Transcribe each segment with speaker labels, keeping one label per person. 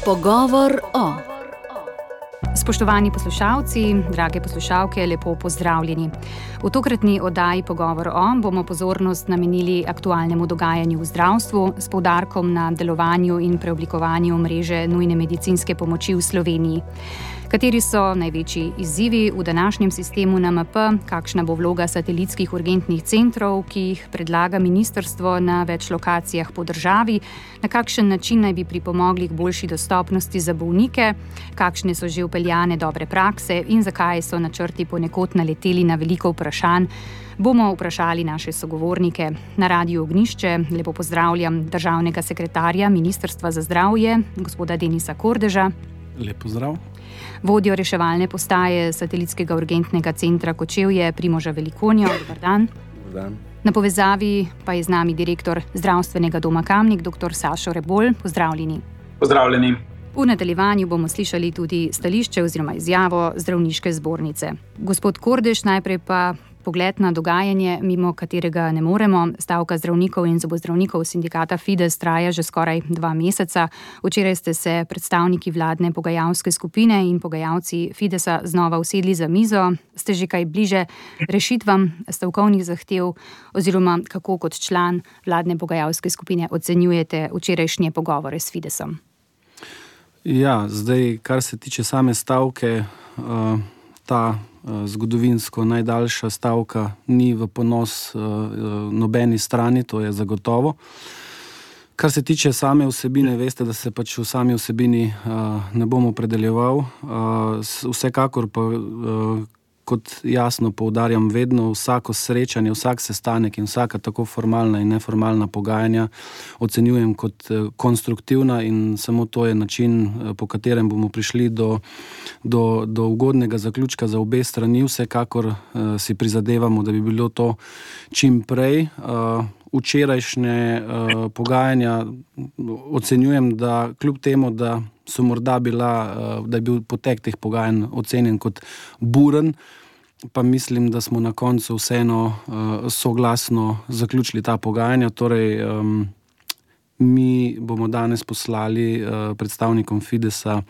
Speaker 1: Pogovor o.
Speaker 2: Spoštovani poslušalci, drage poslušalke, lepo pozdravljeni. V tokratni oddaji Pogovor o bomo pozornost namenili aktualnemu dogajanju v zdravstvu s poudarkom na delovanju in preoblikovanju mreže nujne medicinske pomoči v Sloveniji. Kateri so največji izzivi v današnjem sistemu NMP, kakšna bo vloga satelitskih urgentnih centrov, ki jih predlaga ministrstvo na več lokacijah po državi, na kakšen način naj bi pripomogli k boljši dostopnosti za bolnike, kakšne so že vpeljane dobre prakse in zakaj so načrti ponekod naleteli na veliko vprašanj, bomo vprašali naše sogovornike. Na Radiu Ognjišče lepo pozdravljam državnega sekretarja Ministrstva za zdravje, gospoda Denisa Kordeža.
Speaker 3: Lep pozdrav.
Speaker 2: Vodjo reševalne postaje satelitskega urgentnega centra Kočevje, Primoža Velikonjo. Dobar dan.
Speaker 3: Dobar dan.
Speaker 2: Na povezavi pa je z nami direktor zdravstvenega doma Kamnik, dr. Sašo Rebolj. Pozdravljeni.
Speaker 4: Pozdravljeni.
Speaker 2: V nadaljevanju bomo slišali tudi stališče oziroma izjavo zdravniške zbornice. Gospod Kordež, najprej pa pogled na dogajanje, mimo katerega ne moremo. Stavka zdravnikov in zobozdravnikov sindikata Fides traja že skoraj 2 meseca. Včeraj ste se predstavniki vladne pogajalske skupine in pogajalci Fidesa znova usedli za mizo. Ste že kaj bliže rešitvam stavkovnih zahtev oziroma kako kot član vladne pogajalske skupine ocenjujete včerajšnje pogovore s Fidesom?
Speaker 3: Ja, zdaj, kar se tiče same stavke, ta zgodovinsko najdaljša stavka ni v ponos nobeni strani, to je zagotovo. Kar se tiče same vsebine, veste, da se pač v sami vsebini ne bom opredeljeval. Vsekakor pa, kot jasno poudarjam, vedno vsako srečanje, vsak sestanek in vsaka tako formalna in neformalna pogajanja ocenjujem kot konstruktivna in samo to je način, po katerem bomo prišli do ugodnega zaključka za obe strani. Vsekakor si prizadevamo, da bi bilo to čim prej. Včerajšnje pogajanja ocenjujem, da kljub temu, da so morda da je bil potek teh pogajanj ocenjen kot buren, pa mislim, da smo na koncu vseeno soglasno zaključili ta pogajanja. Torej, mi bomo danes poslali predstavnikom Fidesa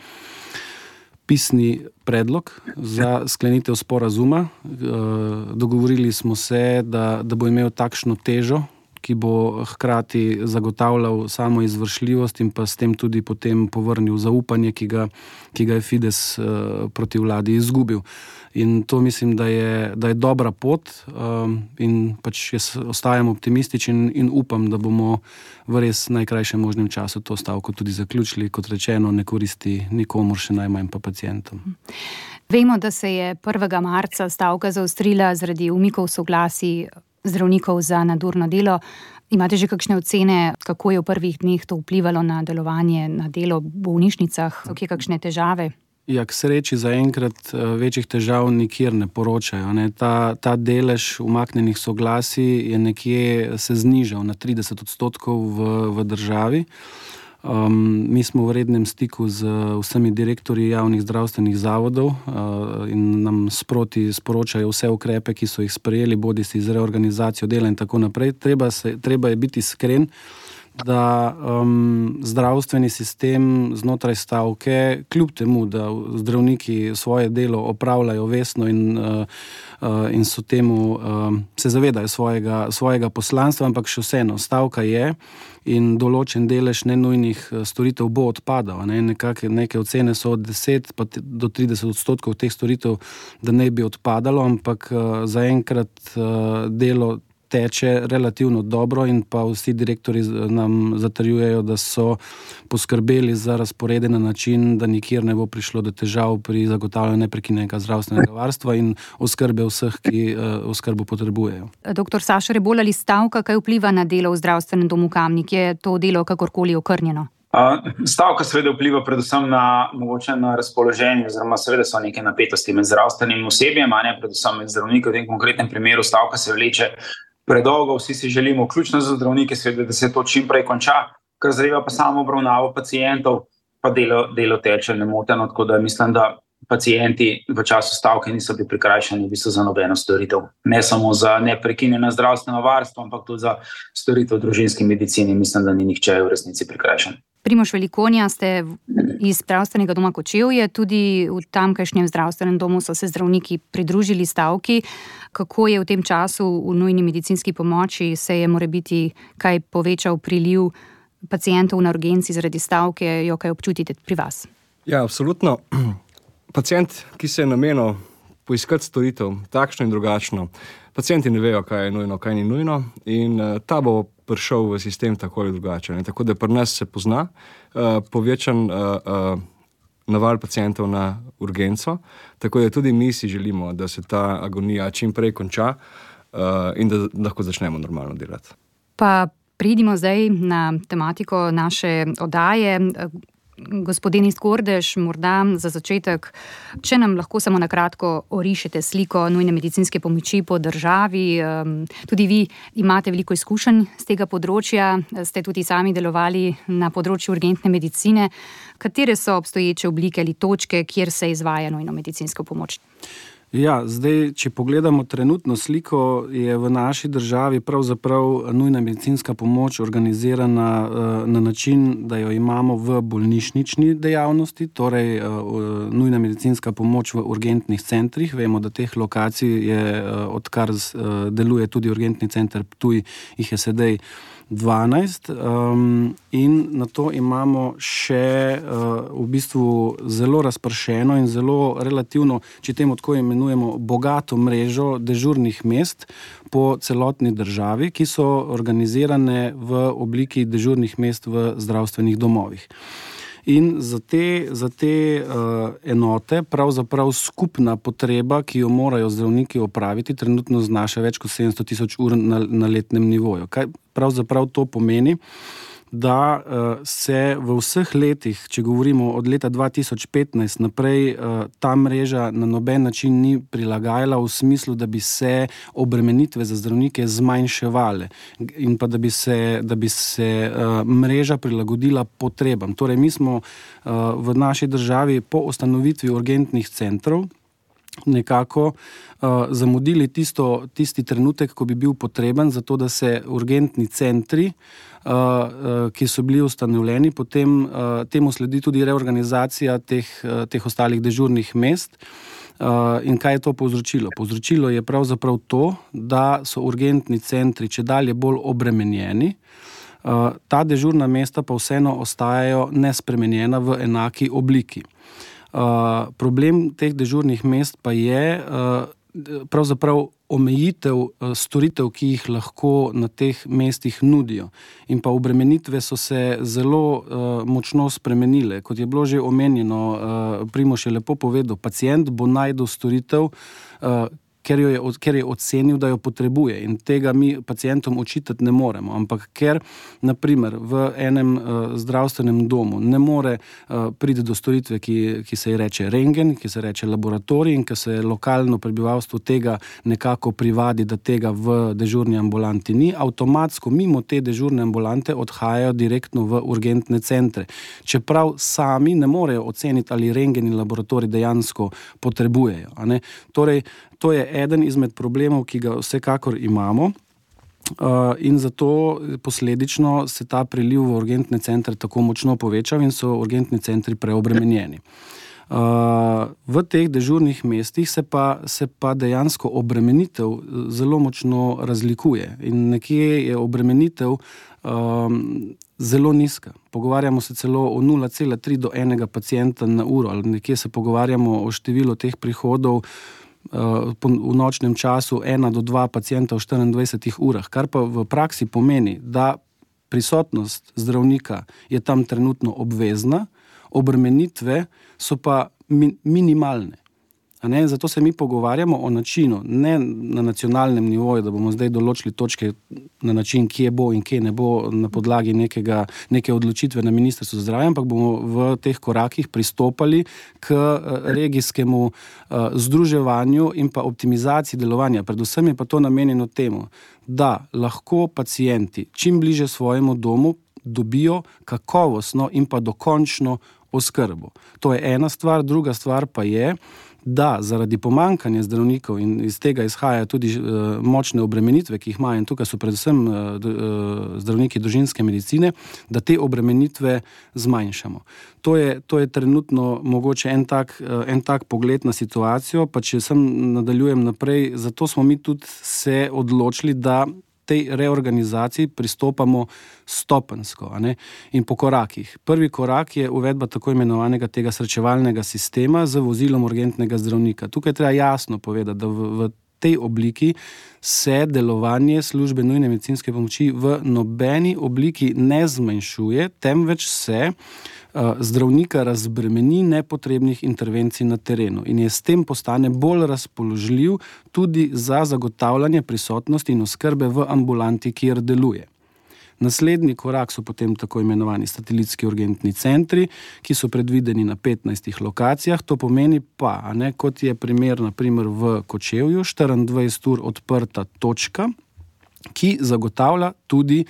Speaker 3: pisni predlog za sklenitev sporazuma. Dogovorili smo se, da bo imel takšno težo, ki bo hkrati zagotavljal samo izvršljivost in pa s tem tudi potem povrnil zaupanje, ki ga je Fides proti vladi izgubil. In to mislim, da je dobra pot in pač jaz ostajam optimističen in upam, da bomo v res najkrajšem možnem času to stavko tudi zaključili. Kot rečeno, ne koristi nikomur, še najmanj pa pacientom.
Speaker 2: Vemo, da se je 1. marca stavka zaostrila zaradi umikov soglasij zdravnikov za nadurno delo. Imate že kakšne ocene, kako je v prvih dneh to vplivalo na delovanje, na delo v bolnišnicah? So kje kakšne težave?
Speaker 3: Ja, k sreči zaenkrat večjih težav nikjer ne poročajo. Ta delež umaknjenih soglasij je nekje se znižal na 30% v državi. Mi smo v rednem stiku z vsemi direktorji javnih zdravstvenih zavodov in nam sproti sporočajo vse ukrepe, ki so jih sprejeli, bodisi z reorganizacijo dela in tako naprej. Treba je biti iskren, da zdravstveni sistem znotraj stavke, kljub temu, da zdravniki svoje delo opravljajo vestno in so temu, se zavedajo svojega poslanstva, ampak še vseeno, stavka je in določen delež nenujnih storitev bo odpadal. Neke ocene so od 10 pa do 30% teh storitev, da ne bi odpadalo, ampak zaenkrat delo teče relativno dobro in pa vsi direktori nam zatrjujejo, da so poskrbeli za razporede na način, da nikjer ne bo prišlo do težav pri zagotavljanju neprekinjenega zdravstvenega varstva in oskrbe vseh, ki oskrbo potrebujejo.
Speaker 2: Doktor Sašo Rebolj, ali stavka kaj vpliva na delo v zdravstvenem domu Kamnik? Je to delo kakorkoli okrnjeno?
Speaker 4: Stavka seveda vpliva predvsem na razpoloženje, oziroma seveda so neke napetosti med zdravstvenim osebjem, predvsem med zdravniki. V tem konkretnem primeru stavka se vleče predolgo, vsi si želimo, vključno za zdravnike, seveda, da se to čim prej konča, kar zadeva pa samo obravnavo pacientov, pa delo teče nemoteno, tako da mislim, da pacienti v času stavke niso bili prikrajšani v bistvu za nobeno storitev. Ne samo za neprekinjeno zdravstveno varstvo, ampak tudi za storitev v družinski medicini. Mislim, da ni nihče v resnici prikrajšan.
Speaker 2: Primož Velikonja, ste iz zdravstvenega doma Kočevje, tudi v tamkajšnjem zdravstvenem domu so se zdravniki pridružili stavki. Kako je v tem času v nujni medicinski pomoči, se je morebiti kaj povečal priliv pacientov na urgenci zaradi stavke, jo kaj občutite pri vas?
Speaker 1: Ja, absolutno. Pacient, ki se je namenil poiskati storitev, takšno in drugačno, pacienti ne vejo, kaj je nujno, kaj ni nujno in ta bo prišel v sistem tako ali drugače. Tako da pri nas se pozna povečan naval pacientov na urgenco, tako da tudi mi si želimo, da se ta agonija čim prej konča in da lahko začnemo normalno delati.
Speaker 2: Pa pridimo zdaj na tematiko naše oddaje. Gospod Denis Kordež, morda za začetek, če nam lahko samo na kratko orišete sliko nujne medicinske pomoči po državi. Tudi vi imate veliko izkušenj z tega področja, ste tudi sami delovali na področju urgentne medicine. Katere so obstoječe oblike ali točke, kjer se izvaja nujno medicinsko pomoč?
Speaker 3: Ja, zdaj, če pogledamo trenutno sliko, je v naši državi pravzaprav nujna medicinska pomoč organizirana na način, da jo imamo v bolnišnični dejavnosti, torej nujna medicinska pomoč v urgentnih centrih. Vemo, da teh lokacij je, odkar deluje tudi urgentni center Ptuj, jih je sedaj 12 in na to imamo še v bistvu zelo razpršeno in zelo relativno, če temu tako imenujemo, bogato mrežo dežurnih mest po celotni državi, ki so organizirane v obliki dežurnih mest v zdravstvenih domovih. In za te enote pravzaprav skupna potreba, ki jo morajo zdravniki opraviti, trenutno znaša več kot 700,000 ur na letnem nivoju. Kaj pravzaprav to pomeni? Da se v vseh letih, če govorimo od leta 2015 naprej, ta mreža na noben način ni prilagajala v smislu, da bi se obremenitve za zdravnike zmanjševale in pa da bi se mreža prilagodila potrebam. Torej, mi smo v naši državi po ustanovitvi urgentnih centrov nekako zamudili tisti trenutek, ko bi bil potreben za to, da se urgentni centri, ki so bili ustanovljeni, potem temu sledi tudi reorganizacija teh ostalih dežurnih mest. In kaj je to povzročilo? Povzročilo je pravzaprav to, da so urgentni centri čedalje bolj obremenjeni, ta dežurna mesta pa vseeno ostajajo nespremenjena v enaki obliki. Problem teh dežurnih mest pa je pravzaprav omejitev storitev, ki jih lahko na teh mestih nudijo. In pa obremenitve so se zelo močno spremenile. Kot je bilo že omenjeno, Primož je lepo povedal, pacient bo našel storitev, ker je ocenil, da jo potrebuje, in tega mi pacientom očitati ne moremo. Ampak ker, na primer, v enem zdravstvenem domu ne more priti do storitve, ki se ji reče rentgen, ki se reče laboratorij, in ki se lokalno prebivalstvo tega nekako privadi, da tega v dežurni ambulanti ni, avtomatsko mimo te dežurne ambulante odhajajo direktno v urgentne centre. Čeprav sami ne morejo oceniti, ali rentgen in laboratorij dejansko potrebujejo. Torej, to je eden izmed problemov, ki ga vsekakor imamo, in zato posledično se ta priliv v urgentne centre tako močno povečal in so urgentni centri preobremenjeni. V teh dežurnih mestih se pa dejansko obremenitev zelo močno razlikuje in nekje je obremenitev zelo nizka. Pogovarjamo se celo o 0,3 do 1 pacienta na uro, ali nekje se pogovarjamo o številu teh prihodov v nočnem času 1 do 2 pacienta v 24 urah, kar pa v praksi pomeni, da prisotnost zdravnika je tam trenutno obvezna, obremenitve so pa minimalne. Zato se mi pogovarjamo o načinu, ne na nacionalnem nivoju, da bomo zdaj določili točke na način, kje bo in kje ne bo na podlagi neke odločitve na Ministrstvu za zdravje, ampak bomo v teh korakih pristopali k regijskemu združevanju in pa optimizaciji delovanja. Predvsem je pa to namenjeno temu, da lahko pacienti čim bliže svojemu domu dobijo kakovostno in pa dokončno oskrbo. To je ena stvar, druga stvar pa je, da zaradi pomankanja zdravnikov in iz tega izhajajo tudi močne obremenitve, ki jih imajo, in tukaj so predvsem zdravniki družinske medicine, da te obremenitve zmanjšamo. To je trenutno mogoče en tak pogled na situacijo, pa če nadaljujem naprej, zato smo mi tudi se odločili, da tej reorganizaciji pristopamo stopensko, in po korakih. Prvi korak je uvedba tako imenovanega tega srečevalnega sistema z vozilom urgentnega zdravnika. Tukaj treba jasno povedati, da v tej obliki se delovanje službe nujne medicinske pomoči v nobeni obliki ne zmanjšuje, temveč se zdravnika razbremeni nepotrebnih intervencij na terenu in je s tem postane bolj razpoložljiv tudi za zagotavljanje prisotnosti in oskrbe v ambulanti, kjer deluje. Naslednji korak so potem tako imenovani satelitski urgentni centri, ki so predvideni na 15 lokacijah. To pomeni pa, kot je primer naprimer v Kočevju, 24 ur odprta točka, ki zagotavlja tudi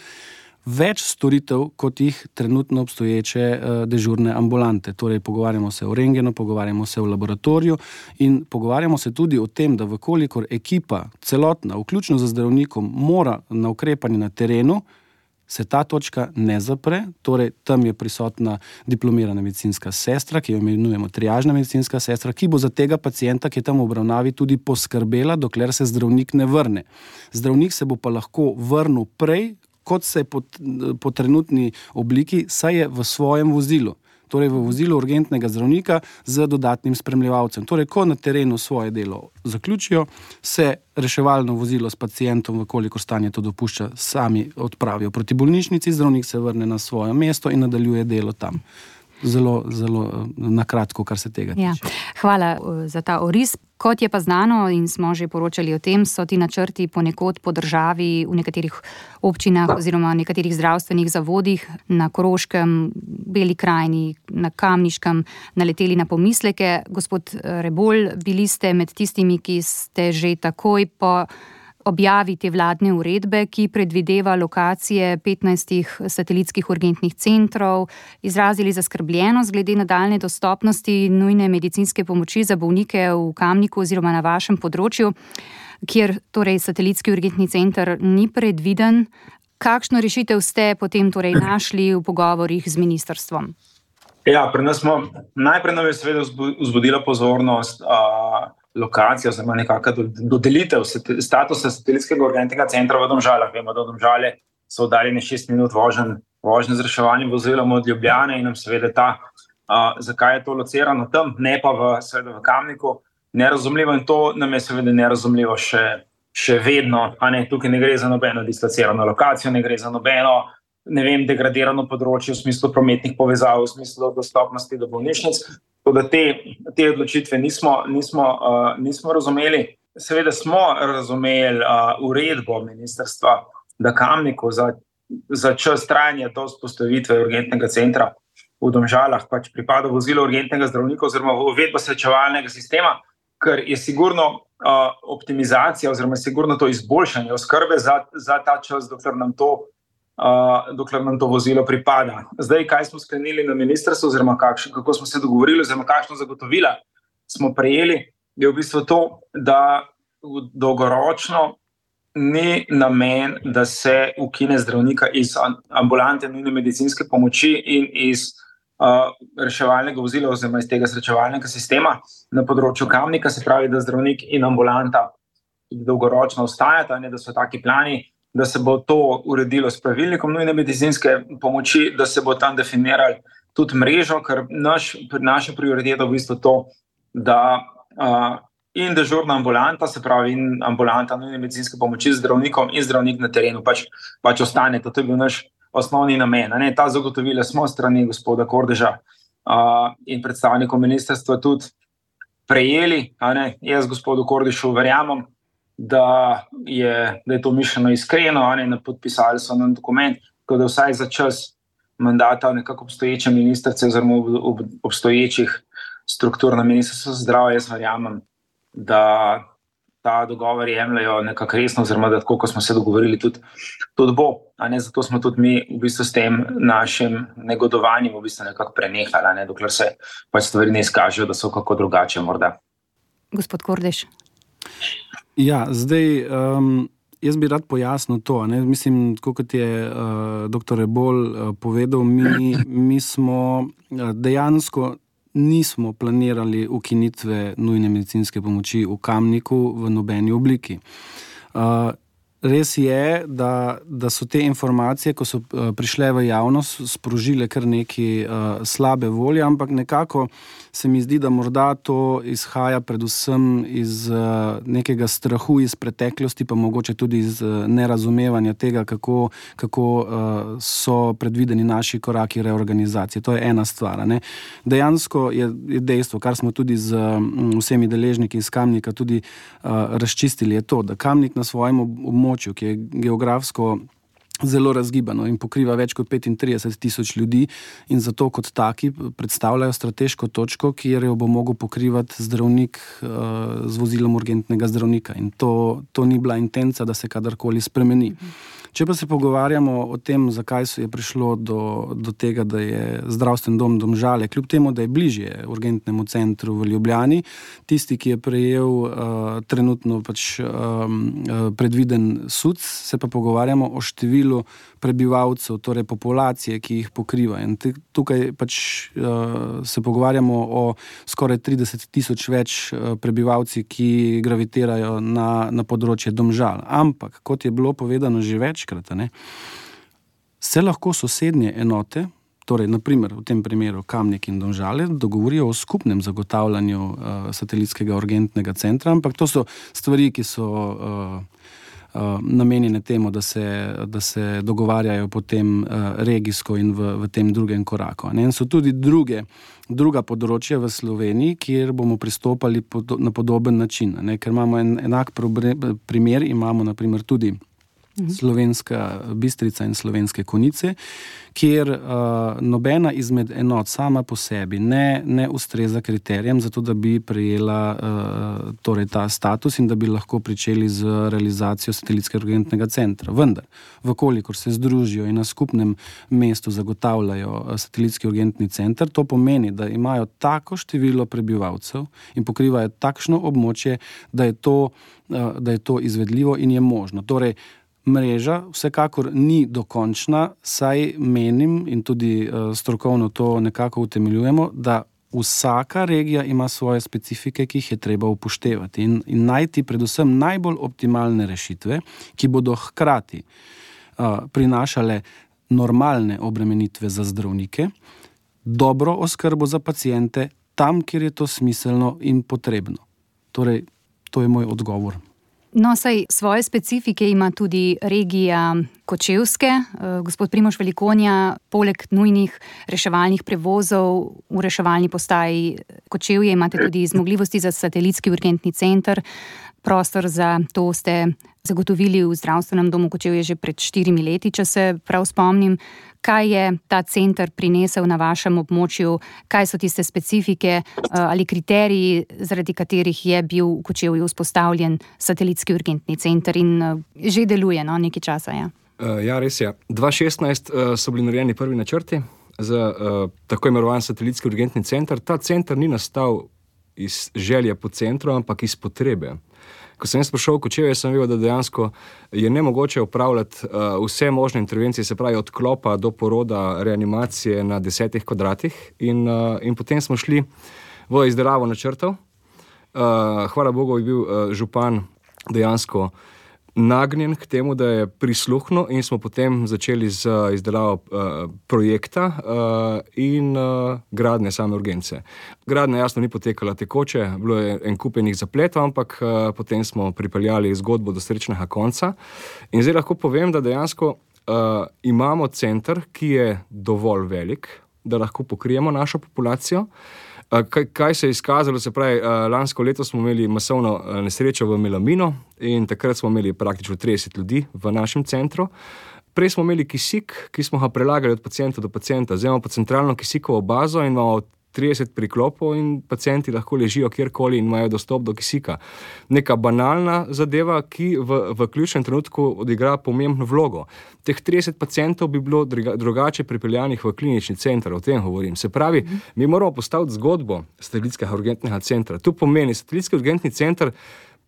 Speaker 3: več storitev, kot jih trenutno obstoječe dežurne ambulante. Torej, pogovarjamo se o rentgenu, pogovarjamo se o laboratoriju in pogovarjamo se tudi o tem, da vkolikor ekipa celotna, vključno z zdravnikom, mora na ukrepanje na terenu, se ta točka ne zapre, torej tam je prisotna diplomirana medicinska sestra, ki jo imenujemo triažna medicinska sestra, ki bo za tega pacienta, ki je tam v obravnavi, tudi poskrbela, dokler se zdravnik ne vrne. Zdravnik se bo pa lahko vrnil prej, kot se po trenutni obliki, saj je v svojem vozilu. Torej v vozilu urgentnega zdravnika z dodatnim spremljevalcem. Torej, ko na terenu svoje delo zaključijo, se reševalno vozilo s pacientom, vkolikor stanje to dopušča, sami odpravijo proti bolnišnici, zdravnik se vrne na svoje mesto in nadaljuje delo tam. Zelo, zelo nakratko, kar se tega tiče.
Speaker 2: Ja, hvala za ta oris. Kot je pa znano in smo že poročali o tem, so ti načrti ponekod po državi v nekaterih občinah oziroma nekaterih zdravstvenih zavodih na Koroškem, Beli krajini, na Kamniškem naleteli na pomisleke. Gospod Rebolj, bili ste med tistimi, ki ste že takoj po objavi te vladne uredbe, ki predvideva lokacije 15 satelitskih urgentnih centrov, izrazili zaskrbljenost glede nadaljnje dostopnosti nujne medicinske pomoči za bolnike v Kamniku oziroma na vašem področju, kjer torej satelitski urgentni center ni predviden. Kakšno rešitev ste potem torej našli v pogovorih z ministrstvom?
Speaker 4: Ja, pri nas najprej nam je seveda vzbudila pozornost lokacija, oziroma nekakšna dodelitev statusa satelitskega urgentnega centra v Domžalah. Vemo, da Domžale so oddaljene 6 minut vožnje z reševalnim vozilom od Ljubljane in nam seveda zakaj je to locirano tam, ne pa seveda v Kamniku, nerazumljivo, in to nam je seveda nerazumljivo še vedno. Tukaj ne gre za nobeno dislocirano lokacijo, ne gre za nobeno degradirano področje v smislu prometnih povezav, v smislu dostopnosti do bolnišnic. Tako da te odločitve nismo razumeli. Seveda smo razumeli uredbo ministrstva, da Kamniku za čas trajanja do vzpostavitve urgentnega centra v Domžalah pač pripada vozilo urgentnega zdravnika oziroma uvedba srečevalnega sistema, ker je sigurno optimizacija oziroma sigurno to izboljšanje oskrbe za ta čas, dokler nam to vozilo pripada. Zdaj, kaj smo sklenili na ministrstvu, oziroma kako smo se dogovorili, oziroma kakšno zagotovila smo prejeli, je v bistvu to, da dolgoročno ni namen, da se ukine zdravnika iz ambulante nujne medicinske pomoči in iz reševalnega vozila oziroma iz tega srečevalnega sistema na področju Kamnika, se pravi, da zdravnik in ambulanta dolgoročno ostajata, da so taki plani, da se bo to uredilo s pravilnikom nujne medicinske pomoči, da se bo tam definirali tudi mrežo, ker naša prioriteta v bistvu to, da in dežurna ambulanta, se pravi in ambulanta nujne medicinske pomoči z zdravnikom in zdravnik na terenu pač ostane. To je bil naš osnovni namen. Ta zagotovila smo strani gospoda Kordeža in predstavnikov ministrstva tudi prejeli. Jaz gospodu Kordežu verjamem, da je to mišljeno iskreno, podpisali so nam dokument, tako da vsaj za čas mandata nekako obstoječe ministrice oziroma obstoječih struktur na ministrstvu za zdravje, jaz verjamem, da ta dogovor jemljajo nekako resno, oziroma da tako, kot smo se dogovorili, tudi bo. Zato smo tudi mi v bistvu s tem našim negodovanjem v bistvu nekako prenehali, dokler se pač stvari ne izkažejo, da so kako drugače morda.
Speaker 2: Gospod Kordež.
Speaker 3: Ja, zdaj jaz bi rad pojasnil to. Mislim, kot je dr. Rebolj povedal, mi smo dejansko nismo planirali ukinitve nujne medicinske pomoči v Kamniku v nobeni obliki. Res je, da so te informacije, ko so prišle v javnost, sprožile kar neki slabe volje, ampak nekako se mi zdi, da morda to izhaja predvsem iz nekega strahu iz preteklosti, pa mogoče tudi iz nerazumevanja tega, kako so predvideni naši koraki reorganizacije. To je ena stvar. Dejansko je dejstvo, kar smo tudi z vsemi deležniki iz Kamnika tudi razčistili, je to, da Kamnik na svojem območju, ki je geografsko zelo razgibano in pokriva več kot 35,000 ljudi in zato kot taki predstavljajo strateško točko, kjer jo bo mogel pokrivati zdravnik z vozilom urgentnega zdravnika. In to ni bila intenca, da se kadarkoli spremeni. Če pa se pogovarjamo o tem, zakaj je prišlo do tega, da je zdravstveni dom Domžale, kljub temu, da je bližje urgentnemu centru v Ljubljani, tisti, ki je prejel trenutno predviden SUC, se pa pogovarjamo o številu prebivalcev, torej populacije, ki jih pokriva. In tukaj se pogovarjamo o skoraj 30,000 več prebivalci, ki gravitirajo na področje Domžal. Ampak, kot je bilo povedano že večkrat, se lahko sosednje enote, torej naprimer v tem primeru Kamnik in Domžale, dogovorijo o skupnem zagotavljanju satelitskega urgentnega centra, ampak to so stvari, ki so namenjene temu, da se dogovarjajo potem regijsko in v tem drugem koraku. In so tudi druga področja v Sloveniji, kjer bomo pristopali na podoben način. Ker imamo enak primer, imamo naprimer tudi Slovenska Bistrica in Slovenske Konjice, kjer nobena izmed enot sama po sebi ne ustreza kriterijem za to, da bi prejela torej ta status in da bi lahko pričeli z realizacijo satelitskega urgentnega centra. Vendar, vkolikor se združijo in na skupnem mestu zagotavljajo satelitski urgentni center, to pomeni, da imajo tako število prebivalcev in pokrivajo takšno območje, da je to izvedljivo in je možno. Torej, mreža vsekakor ni dokončna, saj menim in tudi strokovno to nekako utemeljujemo, da vsaka regija ima svoje specifike, ki jih je treba upoštevati in najti predvsem najbolj optimalne rešitve, ki bodo hkrati prinašale normalne obremenitve za zdravnike, dobro oskrbo za paciente tam, kjer je to smiselno in potrebno. Torej, to je moj odgovor.
Speaker 2: No, saj svoje specifike ima tudi regija Kočevske. Gospod Primož Velikonja, poleg nujnih reševalnih prevozov v reševalni postaji Kočevje imate tudi zmogljivosti za satelitski urgentni center. Prostor za to ste zagotovili v zdravstvenem domu Kočevje že pred 4 leti, če se prav spomnim. Kaj je ta center prinesel na vašem območju? Kaj so tiste specifike ali kriteriji, zaradi katerih je bil v Kočevju vzpostavljen satelitski urgentni center in že deluje nekaj časa?
Speaker 1: Ja, res je. 2016 so bili narejeni prvi načrti za tako imenovan satelitski urgentni center. Ta center ni nastal iz želje po centru, ampak iz potrebe. Ko sem prišel v Kočevje, sem videl, da dejansko je nemogoče upravljati vse možne intervencije, se pravi od klopa do poroda, reanimacije na 10 kvadratih in potem smo šli v izdelavo načrtov. Hvala Bogu je bil župan dejansko nagnjen k temu, da je prisluhnil in smo potem začeli z izdelavo projekta in gradnje same urgence. Gradnja jasno ni potekala tekoče, bilo je en kup enih zapletov, ampak potem smo pripeljali zgodbo do srečnega konca. In zdaj lahko povem, da dejansko imamo center, ki je dovolj velik, da lahko pokrijemo našo populacijo. Kaj se je izkazalo, se pravi, lansko leto smo imeli masovno nesrečo v Melaminu in takrat smo imeli praktično 30 ljudi v našem centru. Prej smo imeli kisik, ki smo ga prelagali od pacienta do pacienta. Zdaj imamo pa centralno kisikovo bazo in imamo 30 priklopov in pacienti lahko ležijo kjerkoli in imajo dostop do kisika. Neka banalna zadeva, ki v ključnem trenutku odigra pomembno vlogo. Teh 30 pacientov bi bilo drugače pripeljanih v klinični center, o tem govorim. Se pravi, mi moramo postaviti zgodbo satelitskega urgentnega centra. To pomeni, satelitski urgentni center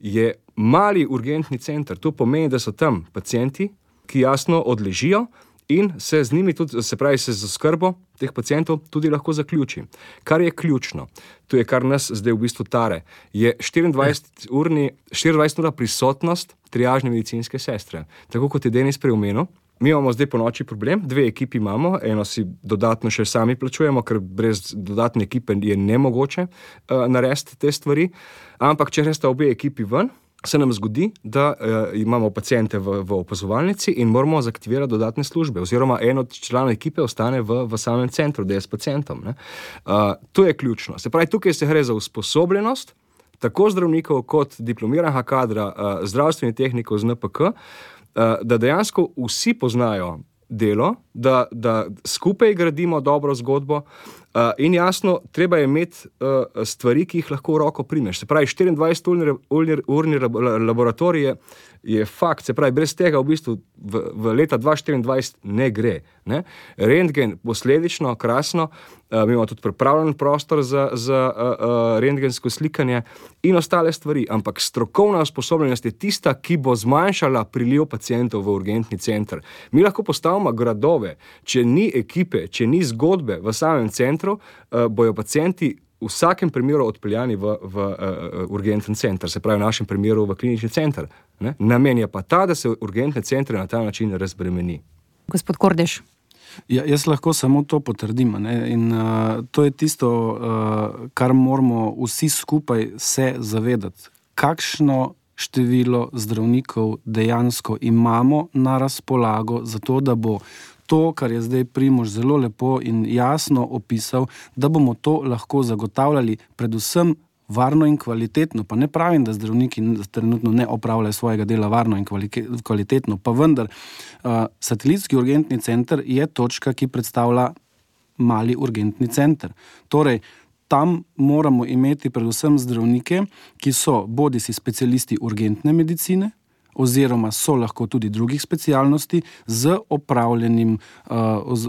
Speaker 1: je mali urgentni center. To pomeni, da so tam pacienti, ki jasno odležijo in se z njimi tudi, se pravi, se z oskrbo teh pacientov tudi lahko zaključi. Kar je ključno, to je kar nas zdaj v bistvu tare, je 24-urna prisotnost triažne medicinske sestre. Tako kot je Denis prej omenil, mi imamo zdaj po noči problem, 2 ekipi imamo, eno si dodatno še sami plačujemo, ker brez dodatne ekipe je nemogoče narediti te stvari, ampak če resta obe ekipi ven, se nam zgodi, da imamo paciente v opazovalnici in moramo zaktivirati dodatne službe, oziroma en od članov ekipe ostane v samem centru, da je s pacientom. To je ključno. Se pravi, tukaj se gre za usposobljenost tako zdravnikov kot diplomiranega kadra zdravstvenih tehnikov z NPK, da dejansko vsi poznajo delo, da skupaj gradimo dobro zgodbo in jasno, treba je imeti stvari, ki jih lahko v roko primeš. Se pravi, 24-urni laboratorij je fakt, se pravi, brez tega v bistvu v leta 2024 ne gre. Ne? Rentgen posledično, krasno, mi imamo tudi pripravljen prostor za rentgensko slikanje in ostale stvari, ampak strokovna usposobljenost je tista, ki bo zmanjšala priliv pacientov v urgentni center. Mi lahko postavimo gradove, če ni ekipe, če ni zgodbe v samem centru, bojo pacienti v vsakem primeru odpeljani v urgentni center, se pravi v našem primeru v klinični center. Ne? Namen je pa ta, da se urgentne centre na ta način razbremeni.
Speaker 2: Gospod Kordež.
Speaker 3: Ja, jaz lahko samo to potrdim. Ne? In to je tisto, kar moramo vsi skupaj se zavedati. Kakšno število zdravnikov dejansko imamo na razpolago za to, da bo to, kar je zdaj Primož zelo lepo in jasno opisal, da bomo to lahko zagotavljali predvsem varno in kvalitetno. Pa ne pravim, da zdravniki trenutno ne opravljajo svojega dela varno in kvalitetno, pa vendar satelitski urgentni center je točka, ki predstavlja mali urgentni center. Torej, tam moramo imeti predvsem zdravnike, ki so bodisi specialisti urgentne medicine, oziroma so lahko tudi drugih specialnosti z opravljenim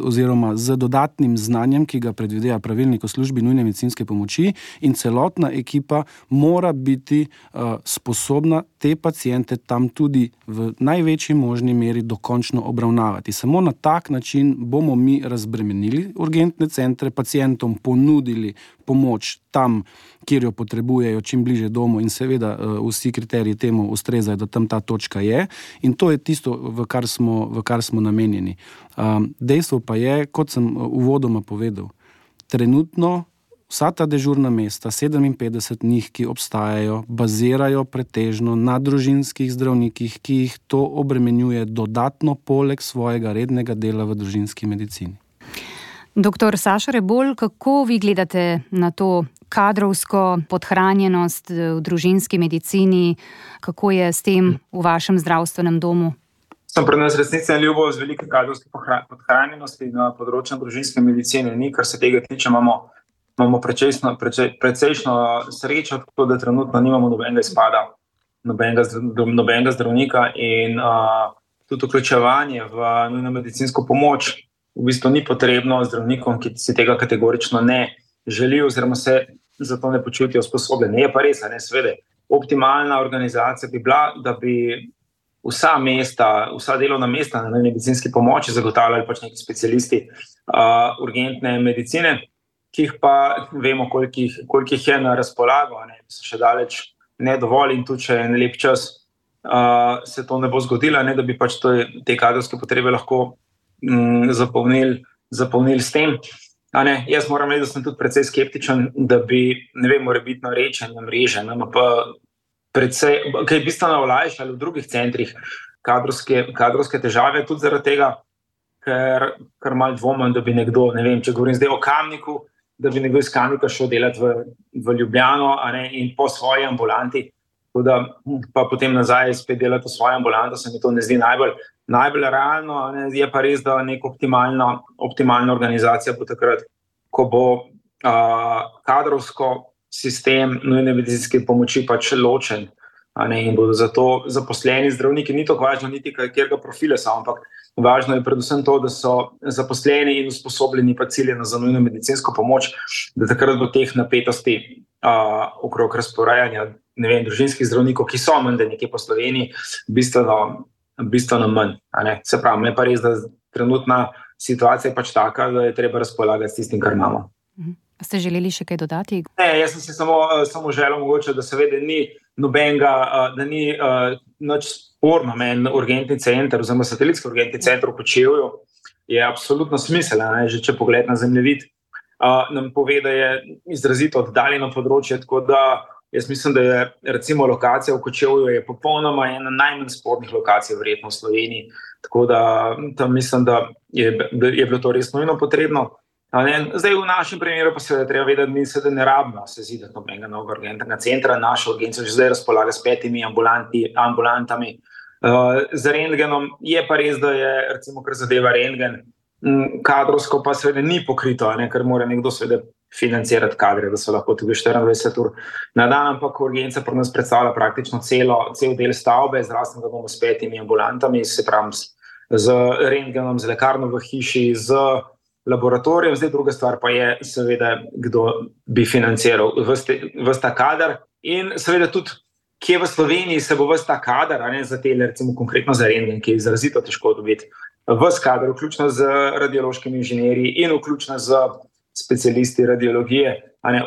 Speaker 3: oziroma z dodatnim znanjem, ki ga predvideva pravilnik o službi nujne medicinske pomoči, in celotna ekipa mora biti sposobna te paciente tam tudi v največji možni meri dokončno obravnavati. Samo na tak način bomo mi razbremenili urgentne centre, pacientom ponudili pomoč tam, kjer jo potrebujejo, čim bliže domu, in seveda vsi kriteriji temu ustrezajo, da tam ta točka je, in to je tisto, v kar smo namenjeni. Dejstvo pa je, kot sem uvodoma povedal, trenutno vsa ta dežurna mesta, 57 njih, ki obstajajo, bazirajo pretežno na družinskih zdravnikih, ki jih to obremenjuje dodatno poleg svojega rednega dela v družinski medicini.
Speaker 2: Doktor Saša Rebolj, kako vi gledate na to kadrovsko podhranjenost v družinski medicini? Kako je s tem v vašem zdravstvenem domu?
Speaker 4: Sem pri nas resnično ljubo z velike kadrovske podhranjenosti na področju družinske medicine. Ni, kar se tega tiče, imamo precejšno srečo, tako da trenutno nimamo nobenega izpada, nobenega zdravnika, in tudi vključevanje v nujno medicinsko pomoč v bistvu ni potrebno zdravnikom, ki si tega kategorično ne želijo oziroma se za to ne počutijo usposobljeni. Je pa res, seveda, optimalna organizacija bi bila, da bi vsa delovna mesta na medicinski pomoči zagotavljali pač neki specialisti urgentne medicine, ki jih pa vemo, koliko jih je na razpolago, so še daleč ne dovolj, in tudi če je en lep čas se to ne bo zgodilo, da bi pač te kadrovske potrebe lahko zapolnili s tem. Jaz moram reči, da sem tudi precej skeptičen, da bi, morebitno rečenje mreže NMP precej, kaj bistveno olajšali v drugih centrih kadrovske težave, tudi zaradi tega, ker malo dvomim, da bi nekdo, če govorim zdaj o Kamniku, da bi nekdo iz Kamnika šel delati v Ljubljano in po svoji ambulanti, da pa potem nazaj spet delati v svoji ambulanti, se mi to ne zdi najbolj realno. Je pa res, da neka optimalna organizacija bo takrat, ko bo kadrovsko sistem nujne medicinske pomoči pač ločen. In bodo zato zaposleni zdravniki, ni to važno niti katerega profila so, ampak važno je predvsem to, da so zaposleni in usposobljeni pa ciljeno za nujno medicinsko pomoč, da takrat bo teh napetosti okrog razporejanja, družinskih zdravnikov, ki so menda nekje po Sloveniji, bistveno manj. Se pravi, je pa res, da trenutna situacija je pač taka, da je treba razpolagati s tistim, kar imamo.
Speaker 2: Ste želeli še kaj dodati?
Speaker 4: Ne, jaz sem si samo želel mogoče, da seveda ni nobenega, da ni nič sporno, en urgentni center oziroma satelitski urgentni center v Kočevju je absolutno smiseln, že če pogled na zemljevid, nam pove, da je izrazito oddaljeno področje, tako da jaz mislim, da je recimo lokacija v Kočevju je popolnoma ena najmanj spornih lokacij verjetno v Sloveniji, tako da tam mislim, da je bilo to res nujno potrebno. Zdaj v našem primeru pa se treba vedeti, da ne rabimo se zidati nobenega novega urgentnega centra. Naša urgenca že zdaj razpolaga s 5 ambulantami. Z rentgenom je pa res, da je, recimo, kar zadeva rentgen, kadrovsko pa seveda ni pokrito, ker mora nekdo seveda financirati kadre, da so lahko tudi 24 ur na dan, ampak urgenca pri nas predstavlja praktično cel del stavbe, zdravstvenega doma s 5 ambulantami, se pravi z rentgenom, z lekarno v hiši, z laboratorijem. Zdaj druga stvar pa je seveda, kdo bi financiral ves ta kader in seveda tudi, kje v Sloveniji se bo ves ta kader, za te, recimo konkretno za rentgen, ki je izrazito težko dobiti, ves kader, vključno z radiološkimi inženirji in vključno z specialisti radiologije,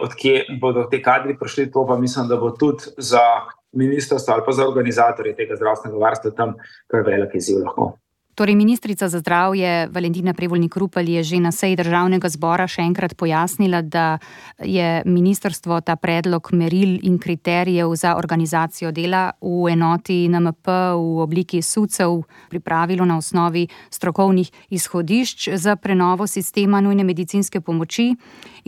Speaker 4: od kje bodo te kadri prišli, to pa mislim, da bo tudi za ministrstvo ali pa za organizatorje tega zdravstvenega varstva tam kar velik izziv lahko.
Speaker 2: Torej, ministrica za zdravje Valentina Prevolnik Rupel je že na seji Državnega zbora še enkrat pojasnila, da je ministrstvo ta predlog meril in kriterijev za organizacijo dela v enoti NMP v obliki SUC-ev pripravilo na osnovi strokovnih izhodišč za prenovo sistema nujne medicinske pomoči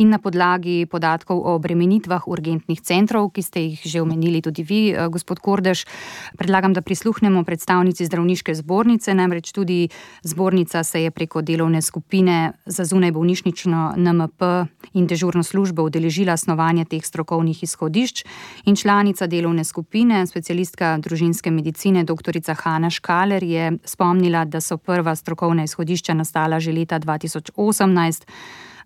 Speaker 2: in na podlagi podatkov o obremenitvah urgentnih centrov, ki ste jih že omenili tudi vi, gospod Kordež. Predlagam, da prisluhnemo predstavnici zdravniške zbornice, namreč tudi zbornica se je preko delovne skupine za zunajbolnišnično NMP in dežurno službo udeležila snovanja teh strokovnih izhodišč in članica delovne skupine, specialistka družinske medicine doktorica Hanna Škaler je spomnila, da so prva strokovna izhodišča nastala že leta 2018.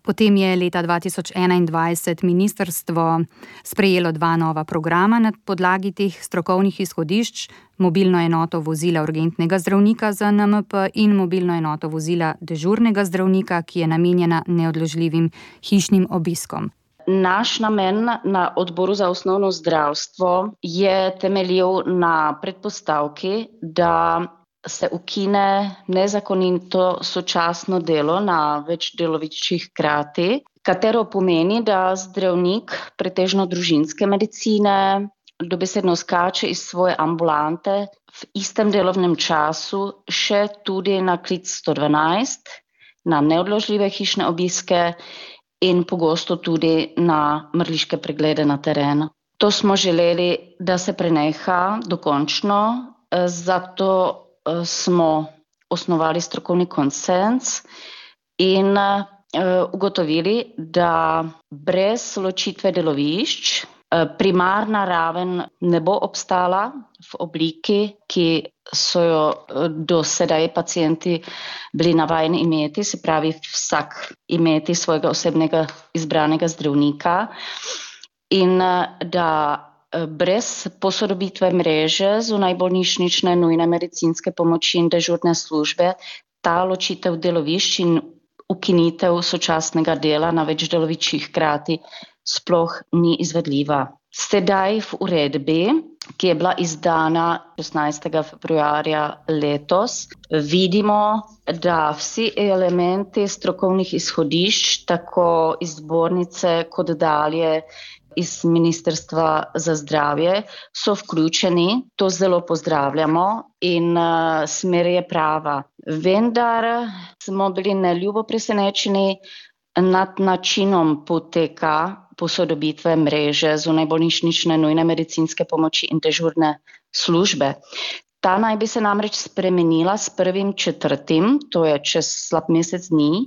Speaker 2: Potem je leta 2021 ministrstvo sprejelo 2 nova programa na podlagi teh strokovnih izhodišč, mobilno enoto vozila urgentnega zdravnika za NMP in mobilno enoto vozila dežurnega zdravnika, ki je namenjena neodložljivim hišnim obiskom.
Speaker 5: Naš namen na odboru za osnovno zdravstvo je temeljil na predpostavki, da se ukine nezakonito sočasno delo na več deloviščih hkrati, katero pomeni, da zdravnik pretežno družinske medicine dobesedno skače iz svoje ambulante v istem delovnem času še tudi na klic 112, na neodložljive hišne obiske in pogosto tudi na mrliške preglede na terenu. To smo želeli, da se preneha dokončno, zato smo osnovali strokovni konsens in ugotovili, da brez ločitve delovišč primarna raven ne bo obstala v obliki, ki so jo do sedaj pacienti bili navajeni imeti, se pravi vsak imeti svojega osebnega izbranega zdravnika in da brez posodobitve mreže zunajbolnišnične nujne medicinske pomoči in dežurne službe ta ločitev delovišč in ukinitev sočasnega dela na več deloviščih hkrati sploh ni izvedljiva. Sedaj v uredbi, ki je bila izdana 16. februarja letos, vidimo, da vsi elementi strokovnih izhodišč, tako iz zbornice kot dalje iz Ministrstva za zdravje, so vključeni. To zelo pozdravljamo in smer je prava. Vendar smo bili neljubo presenečeni nad načinom poteka posodobitve mreže zunajbolnišnične nujne medicinske pomoči in dežurne službe. Ta naj bi se namreč spremenila s 1.4., to je čez slab mesec dni,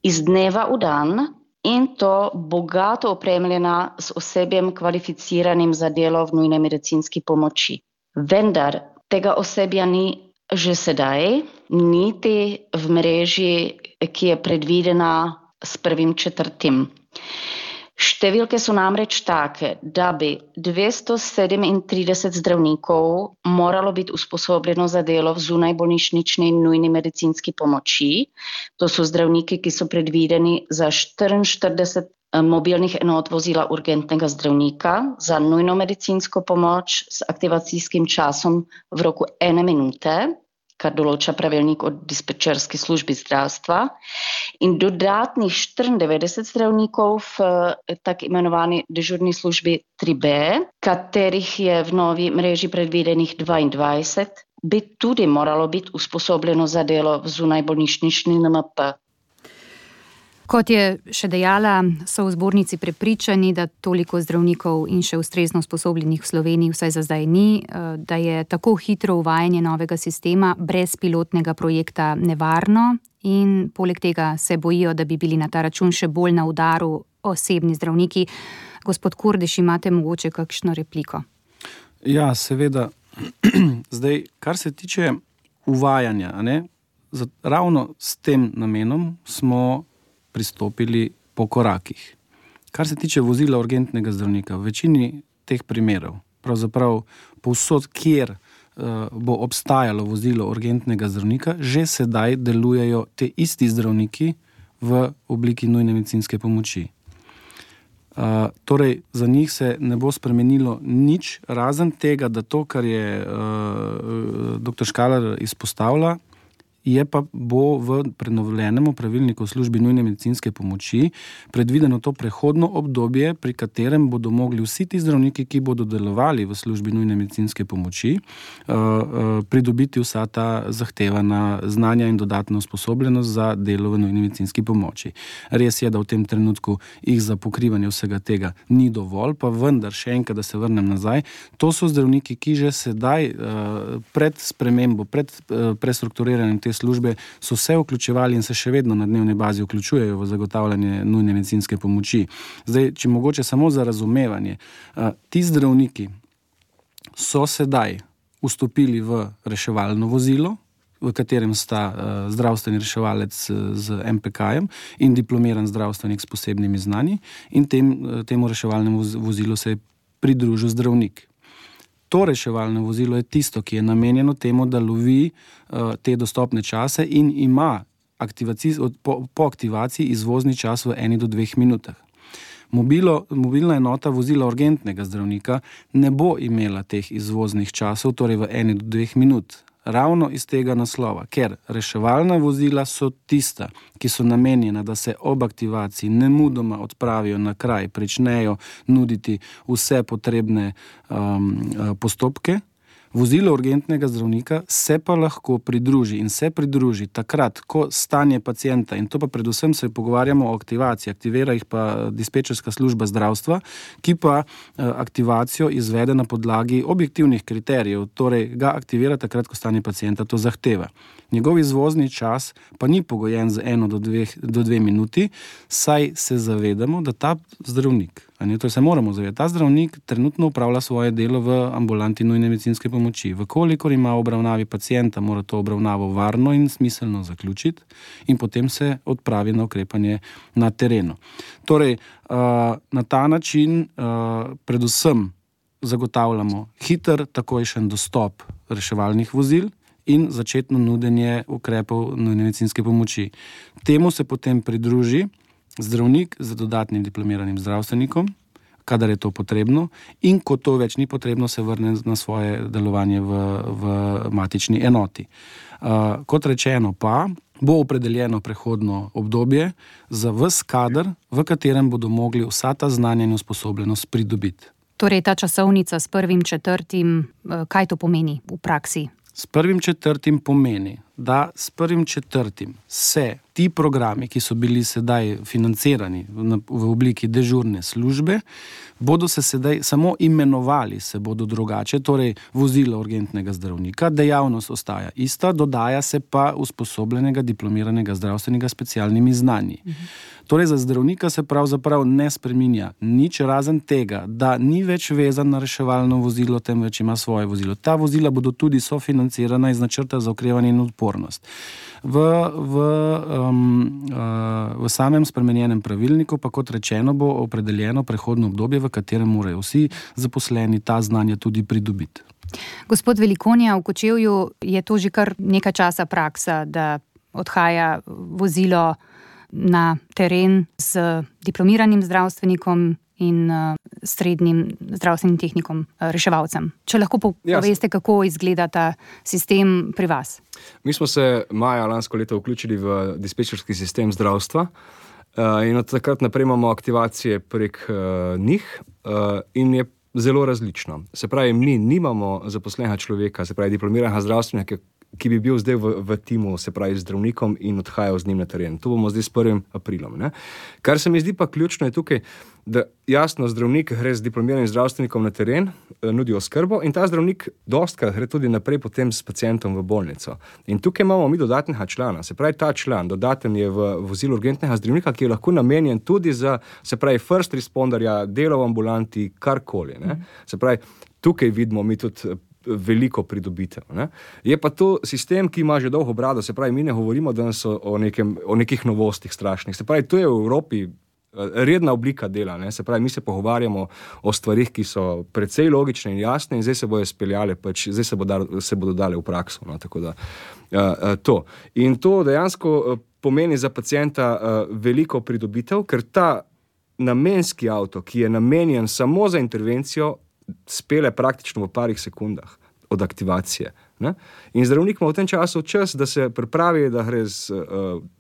Speaker 5: iz dneva v dan in to bogato opremljena s osebjem kvalificiranim za delo v nujni medicinski pomoči. Vendar tega osebja ni že sedaj, niti v mreži, ki je predvidena s 1.4. Številke so namreč take, da bi 237 zdravnikov moralo biti usposobljeno za delo v zunajbolnišnični in nujni medicinski pomoči. To so zdravniki, ki so predvideni za 44 mobilnih enot vozila urgentnega zdravnika za nujno medicinsko pomoč s aktivacijskim časom v roku 1 minute, kar določa pravilnik o dispečerski službi zdravstva, in dodatnih 94 zdravnikov v tak imenovani dežurni službi 3B, katerih je v novi mreži predvidenih 22, bi tudi moralo biti usposobljeno za delo v zunajbolnišnični NMP.
Speaker 2: Kot je še dejala, so v zbornici prepričani, da toliko zdravnikov in še ustrezno usposobljenih v Sloveniji vsaj za zdaj ni, da je tako hitro uvajanje novega sistema brez pilotnega projekta nevarno in poleg tega se bojijo, da bi bili na ta račun še bolj na udaru osebni zdravniki. Gospod Kordež, imate mogoče kakšno repliko?
Speaker 3: Ja, seveda. Zdaj, kar se tiče uvajanja, ravno s tem namenom smo pristopili po korakih. Kar se tiče vozila urgentnega zdravnika, v večini teh primerov, pravzaprav povsod, kjer bo obstajalo vozilo urgentnega zdravnika, že sedaj delujejo te isti zdravniki v obliki nujne medicinske pomoči. Torej, za njih se ne bo spremenilo nič, razen tega, da to, kar je dr. Škaler izpostavlja, je pa bo v prenovljenem pravilniku v službi nujne medicinske pomoči predvideno to prehodno obdobje, pri katerem bodo mogli vsi ti zdravniki, ki bodo delovali v službi nujne medicinske pomoči, pridobiti vsa ta zahtevana znanja in dodatno usposobljenost za delo v nujni medicinski pomoči. Res je, da v tem trenutku jih za pokrivanje vsega tega ni dovolj, pa vendar še enkrat, da se vrnem nazaj, to so zdravniki, ki že sedaj pred spremembo, pred prestrukturiranjem te službe so se vključevali in se še vedno na dnevni bazi vključujejo v zagotavljanje nujne medicinske pomoči. Zdaj, če mogoče samo za razumevanje, ti zdravniki so sedaj vstopili v reševalno vozilo, v katerem sta zdravstveni reševalec z MPK-jem in diplomiran zdravstvenik s posebnimi znanji in temu reševalnemu vozilu se je pridružil zdravnik. To reševalno vozilo je tisto, ki je namenjeno temu, da lovi te dostopne čase in ima po aktivaciji izvozni čas v 1 do 2 minutah. Mobilna enota vozila urgentnega zdravnika ne bo imela teh izvoznih časov, torej v 1 do 2 minut. Ravno iz tega naslova, ker reševalna vozila so tista, ki so namenjena, da se ob aktivaciji nemudoma odpravijo na kraj, pričnejo nuditi vse potrebne postopke. Vozilo urgentnega zdravnika se pa lahko pridruži in se pridruži takrat, ko stanje pacienta, in to pa predvsem se pogovarjamo o aktivaciji, aktivira jih pa dispečerska služba zdravstva, ki pa aktivacijo izvede na podlagi objektivnih kriterijev, torej ga aktivira takrat, ko stanje pacienta to zahteva. Njegov izvozni čas pa ni pogojen z 1 do 2 minuti, saj se zavedamo, da ta zdravnik, to se moramo zavedati, ta zdravnik trenutno upravlja svoje delo v ambulanti nujne medicinske pomoči. Vkolikor ima v obravnavi pacienta, mora to obravnavo varno in smiselno zaključiti in potem se odpravi na ukrepanje na terenu. Torej, na ta način predvsem zagotavljamo hiter, takojšen dostop reševalnih vozil in začetno nudenje ukrepov nujne medicinske pomoči. Temu se potem pridruži zdravnik z dodatnim diplomiranim zdravstvenikom, kadar je to potrebno, in ko to več ni potrebno, se vrne na svoje delovanje v matični enoti. Kot rečeno pa, bo opredeljeno prehodno obdobje za ves kader, v katerem bodo mogli vsa ta znanja in usposobljenost pridobiti.
Speaker 2: Torej, ta časovnica s 1.4., kaj to pomeni v praksi?
Speaker 3: S 1.4. pomeni, da s 1.4. se ti programi, ki so bili sedaj financirani v obliki dežurne službe, bodo se sedaj samo imenovali, se bodo drugače, torej vozilo urgentnega zdravnika, dejavnost ostaja ista, dodaja se pa usposobljenega diplomiranega zdravstvenega specialnimi znanji. Torej za zdravnika se pravzaprav ne spreminja nič razen tega, da ni več vezan na reševalno vozilo, temveč ima svoje vozilo. Ta vozila bodo tudi sofinancirana iz načrta za okrevanje in odpornost. V samem spremenjenem pravilniku pa, kot rečeno, bo opredeljeno prehodno obdobje, v katerem morajo vsi zaposleni ta znanja tudi pridobiti.
Speaker 2: Gospod Velikonja, v Kočevju je to že kar nekaj časa praksa, da odhaja vozilo na teren z diplomiranim zdravstvenikom in srednjim zdravstvenim tehnikom, reševalcem. Če lahko poveste, kako izgleda ta sistem pri vas?
Speaker 1: Mi smo se maja lansko leto vključili v dispečerski sistem zdravstva in od takrat naprej imamo aktivacije prek njih in je zelo različno. Se pravi, mi nimamo zaposlenega človeka, se pravi diplomiranega zdravstvenika, ki bi bil zdaj v timu, se pravi zdravnikom in odhajal z njim na teren. To bomo zdaj s 1. aprilom. Ne? Kar se mi zdi pa ključno je tukaj, da jasno zdravnik gre z diplomiranim zdravstvenikom na teren, nudi oskrbo in ta zdravnik dostikrat gre tudi naprej potem s pacientom v bolnico. In tukaj imamo mi dodatnega člana. Se pravi, ta član dodaten je v vozilu urgentnega zdravnika, ki je lahko namenjen tudi za, se pravi, first responderja, delo v ambulanti, karkoli. Ne? Se pravi, tukaj vidimo mi tudi veliko pridobitev. Ne? Je pa to sistem, ki ima že dolgo brado, se pravi, mi ne govorimo danes o nekih novostih strašnih. Se pravi, to je v Evropi redna oblika dela. Ne? Se pravi, mi se pogovarjamo o stvarih, ki so precej logične in jasne in zdaj se bodo speljale, zdaj se bodo dale v prakso. No? Tako da to. In to dejansko pomeni za pacienta veliko pridobitev, ker ta namenski avto, ki je namenjen samo za intervencijo, spele praktično v parih sekundah od aktivacije. Ne? In zdravnik ima v tem času čas, da se pripravi, da gre z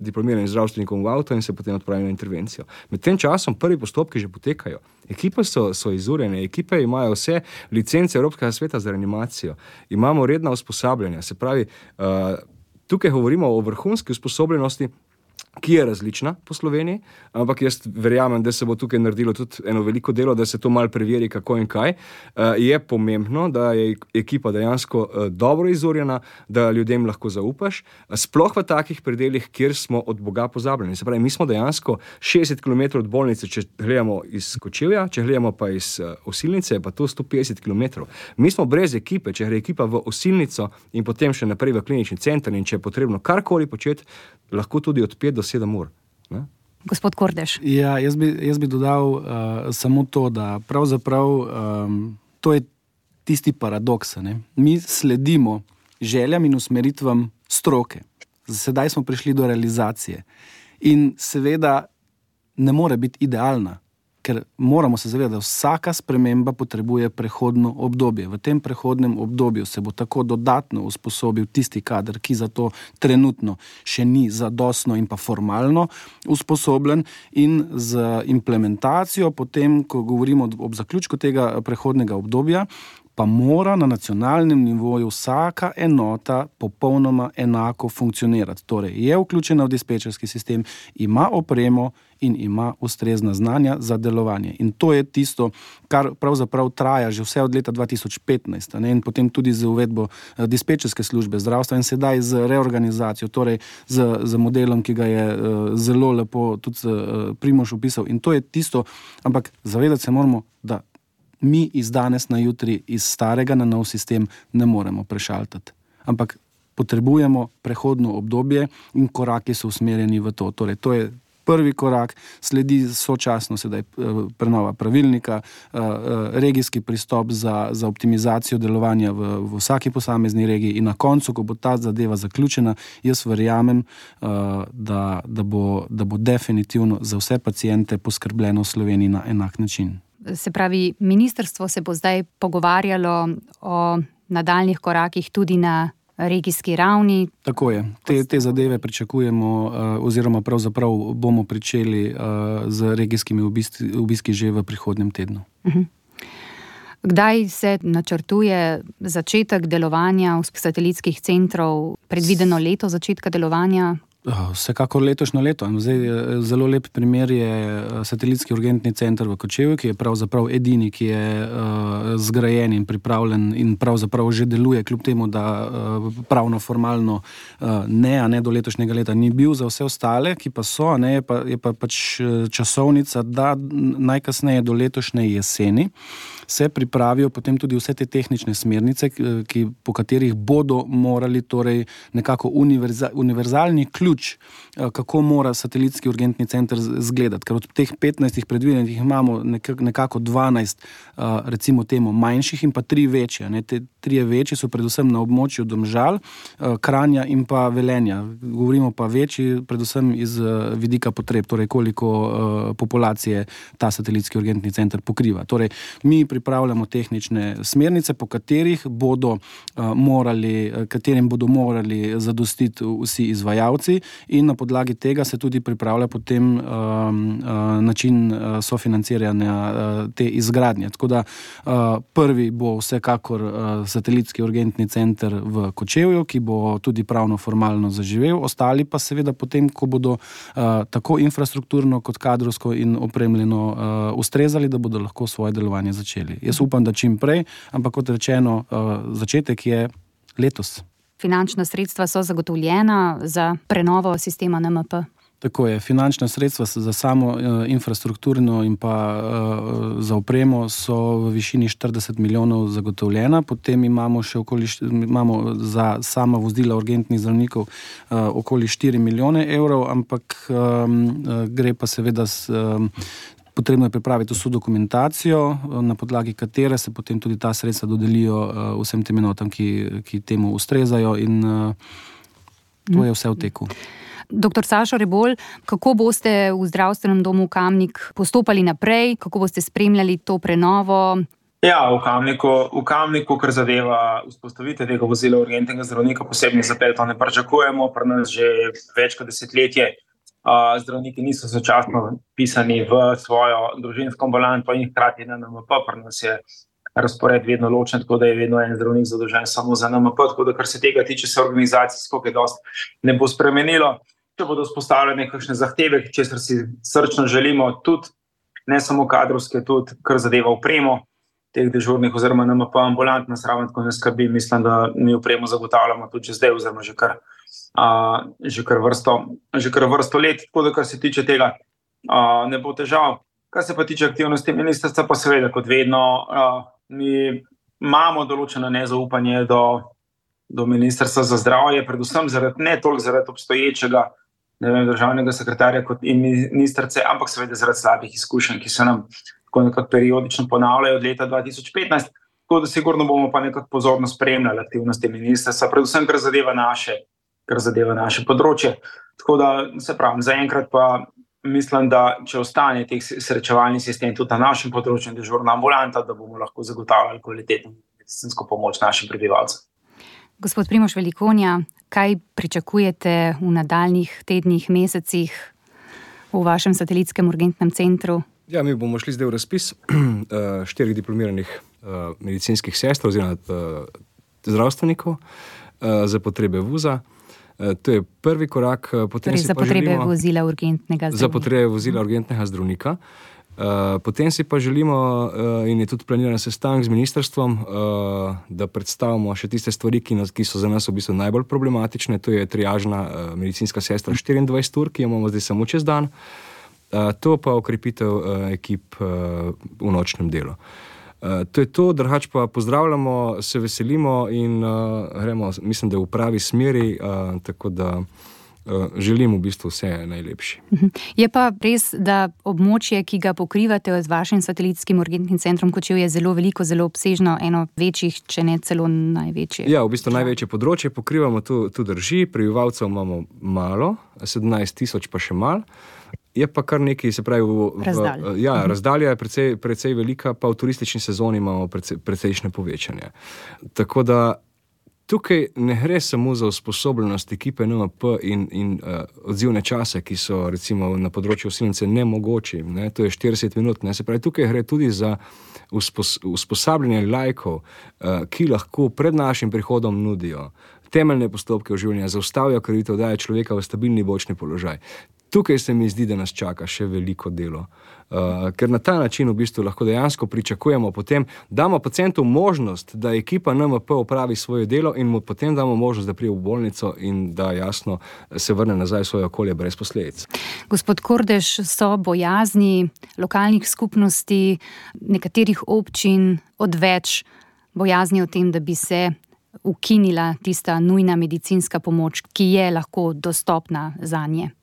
Speaker 1: diplomiranim zdravstvenikom v avto in se potem odpravi na intervencijo. Med tem časom prvi postopki že potekajo. Ekipe so izurjene, ekipe imajo vse licence Evropskega sveta za reanimacijo. Imamo redna usposabljanja. Se pravi, tukaj govorimo o vrhunski usposobljenosti, ki je različna po Sloveniji, ampak jaz verjamem, da se bo tukaj naredilo tudi eno veliko delo, da se to malo preveri, kako in kaj. Je pomembno, da je ekipa dejansko dobro izurjena, da ljudem lahko zaupaš, sploh v takih predelih, kjer smo od Boga pozabljeni. Se pravi, mi smo dejansko 60 km od bolnice, če gledamo iz Kočevja, če gledamo pa iz Osilnice, pa to 150 km. Mi smo brez ekipe, če gre ekipa v Osilnico in potem še naprej v klinični center in če je potrebno karkoli početi, lahko tudi od 5 do 7 ur. Ne?
Speaker 2: Gospod Kordež.
Speaker 3: Ja, jaz bi dodal samo to, da pravzaprav to je tisti paradoks. Ne? Mi sledimo željam in usmeritvam stroke. Sedaj smo prišli do realizacije. In seveda ne more biti idealna, ker moramo se zavedati, da vsaka sprememba potrebuje prehodno obdobje. V tem prehodnem obdobju se bo tako dodatno usposobil tisti kader, ki za to trenutno še ni zadostno in pa formalno usposobljen, in z implementacijo potem, ko govorimo ob zaključku tega prehodnega obdobja, pa mora na nacionalnem nivoju vsaka enota popolnoma enako funkcionirati. Torej, je vključena v dispečerski sistem, ima opremo in ima ustrezna znanja za delovanje. In to je tisto, kar pravzaprav traja že vse od leta 2015, ne? In potem tudi z uvedbo dispečerske službe zdravstva in sedaj z reorganizacijo, torej z modelom, ki ga je zelo lepo tudi Primož opisal. In to je tisto, ampak zavedati se moramo, da mi iz danes na jutri iz starega na nov sistem ne moremo prešaltati. Ampak potrebujemo prehodno obdobje in koraki so usmerjeni v to. Torej, to je prvi korak, sledi sočasno sedaj prenova pravilnika, regijski pristop za optimizacijo delovanja v vsaki posamezni regiji in na koncu, ko bo ta zadeva zaključena, jaz verjamem, da bo definitivno za vse paciente poskrbljeno v Sloveniji na enak način.
Speaker 2: Se pravi, ministrstvo se bo zdaj pogovarjalo o nadaljnih korakih tudi na regijski ravni.
Speaker 3: Tako je. Te zadeve pričakujemo oziroma pravzaprav bomo pričeli z regijskimi obiski že v prihodnjem tednu.
Speaker 2: Kdaj se načrtuje začetek delovanja satelitskih centrov, predvideno leto začetka delovanja?
Speaker 3: Vsekakor letošnje leto. Zdaj, zelo lep primer je satelitski urgentni center v Kočevju, ki je pravzaprav edini, ki je zgrajen in pripravljen in pravzaprav že deluje, kljub temu, da pravno formalno ne do letošnjega leta ni bil. Za vse ostale, ki pa so, je pa pač časovnica, da najkasneje do letošnje jeseni se pripravijo potem tudi vse te tehnične smernice, po katerih bodo morali torej nekako univerzalni ključ, kako mora satelitski urgentni center izgledati. Ker od teh 15 predvidenih imamo nekako 12, recimo temu, manjših in pa 3 večje. Te 3 večje so predvsem na območju Domžal, Kranja in pa Velenja. Govorimo pa večji predvsem iz vidika potreb, torej koliko populacije ta satelitski urgentni center pokriva. Torej, mi pripravljamo tehnične smernice, po katerim bodo morali zadostiti vsi izvajalci in na podlagi tega se tudi pripravlja potem način sofinanciranja te izgradnje. Tako da prvi bo vsekakor satelitski urgentni center v Kočevju, ki bo tudi pravno formalno zaživel, ostali pa seveda potem, ko bodo tako infrastrukturno kot kadrovsko in opremljeno ustrezali, da bodo lahko svoje delovanje začeli. Jaz upam, da čim prej, ampak kot rečeno, začetek je letos.
Speaker 2: Finančna sredstva so zagotovljena za prenovo sistema NMP?
Speaker 3: Tako je. Finančna sredstva za samo infrastrukturno in pa za opremo so v višini 40 milijonov zagotovljena. Potem imamo še za sama vozila urgentnih zdravnikov okoli 4 milijone evrov, ampak gre pa seveda potrebno je pripraviti vso dokumentacijo, na podlagi katere se potem tudi ta sredstva dodelijo vsem tem enotam, ki temu ustrezajo, in to je vse v teku.
Speaker 2: Dr. Sašo Rebolj, kako boste v zdravstvenem domu Kamnik postopali naprej, kako boste spremljali to prenovo?
Speaker 4: Ja, v Kamniku, kar zadeva vzpostavitev tega vozila urgentnega zdravnika, posebnih zapletov ne pričakujemo, pri nas že več kot desetletje. Zdravniki niso začasno pisani v svojo družinsko ambulanto in hkrati na NMP, pri nas je razpored vedno ločen, tako da je vedno en zdravnik zadolžen samo za NMP, tako da kar se tega tiče, se organizacijsko kaj dosti ne bo spremenilo. Če bodo vzpostavljene kakšne zahteve, česar si srčno želimo, tudi ne samo kadrovske, tudi kar zadeva opremo teh dežurnih oziroma NMP ambulant, nas ravno tako ne skrbi. Mislim, da mi opremo zagotavljamo tudi že zdaj oziroma že kar vrsto let, tako da kar se tiče tega ne bo težav. Kar se pa tiče aktivnosti ministrstva, pa seveda kot vedno mi imamo določeno nezaupanje do ministrstva za zdravje, predvsem ne toliko zaradi obstoječega državnega sekretarja kot in ministrice, ampak seveda zaradi slabih izkušenj, ki se nam tako nekako periodično ponavljajo od leta 2015, tako da sigurno bomo pa nekako pozorno spremljali aktivnosti ministrstva, predvsem kar zadeva naše področje. Tako da se pravim, zaenkrat pa mislim, da če ostane teh srečevalni sistem tudi na našem področju dežurna ambulanta, da bomo lahko zagotavljali kvalitetno medicinsko pomoč našim prebivalcem.
Speaker 2: Gospod Primož Velikonja, kaj pričakujete v nadaljnjih tednih, mesecih v vašem satelitskem urgentnem centru?
Speaker 1: Ja, mi bomo šli zdaj v razpis 4 diplomiranih medicinskih sester oziroma zdravstvenikov za potrebe VUZ-a. To je prvi korak.
Speaker 2: Torej za potrebe vozila urgentnega zdravnika.
Speaker 1: Za potrebe vozila urgentnega zdravnika. Potem si pa želimo, in je tudi planiran sestanek z ministrstvom, da predstavimo še tiste stvari, ki so za nas v bistvu najbolj problematične. To je triažna medicinska sestra 24 ur, ki jo imamo zdaj samo čez dan. To pa okrepitev ekip v nočnem delu. To je to, drugače pa pozdravljamo, se veselimo in gremo, mislim, da v pravi smeri, tako da želim v bistvu vse najlepše.
Speaker 2: Je pa res, da območje, ki ga pokrivate z vašim satelitskim urgentnim centrom Kočevje, je zelo veliko, zelo obsežno, eno večjih, če ne celo največje.
Speaker 1: Ja, v bistvu največje področje pokrivamo, tu drži, prebivalcev imamo malo, 17 000 pa še malo. Je pa kar nekaj, se pravi, razdalja je precej velika, pa v turistični sezoni imamo precejšnje povečanje. Tako da tukaj ne gre samo za usposobljenost ekipe NMP in odzivne čase, ki so recimo na področju osilnice nemogoči, to je 40 minut, se pravi, tukaj gre tudi za usposabljanje laikov, ki lahko pred našim prihodom nudijo temeljne postopke oživljanja, zaustavijo krvavitev, dajo človeka v stabilni bočni položaj. Tukaj se mi zdi, da nas čaka še veliko delo. Ker na ta način v bistvu lahko dejansko pričakujemo potem, damo pacientu možnost, da ekipa NMP opravi svoje delo in mu potem damo možnost, da prije v bolnico in da jasno se vrne nazaj v svoje okolje brez posledic.
Speaker 2: Gospod Kordež, so bojazni lokalnih skupnosti, nekaterih občin odveč bojazni o tem, da bi se ukinila tista nujna medicinska pomoč, ki je lahko dostopna zanje?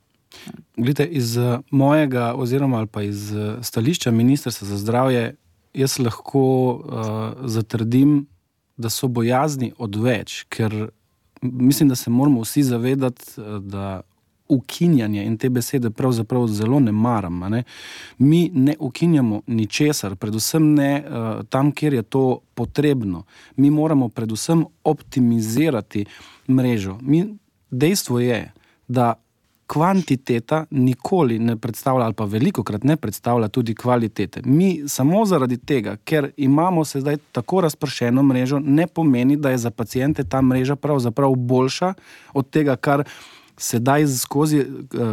Speaker 3: Glede, iz mojega oziroma ali pa iz stališča Ministrstva za zdravje jaz lahko zatrdim, da so bojazni odveč, ker mislim, da se moramo vsi zavedati, da ukinjanje in te besede pravzaprav zelo ne maram. Ne? Mi ne ukinjamo ničesar, predvsem ne tam, kjer je to potrebno. Mi moramo predvsem optimizirati mrežo. Dejstvo je, da kvantiteta nikoli ne predstavlja ali pa velikokrat ne predstavlja tudi kvalitete. Mi samo zaradi tega, ker imamo se zdaj tako razpršeno mrežo, ne pomeni, da je za paciente ta mreža pravzaprav boljša od tega, kar sedaj skozi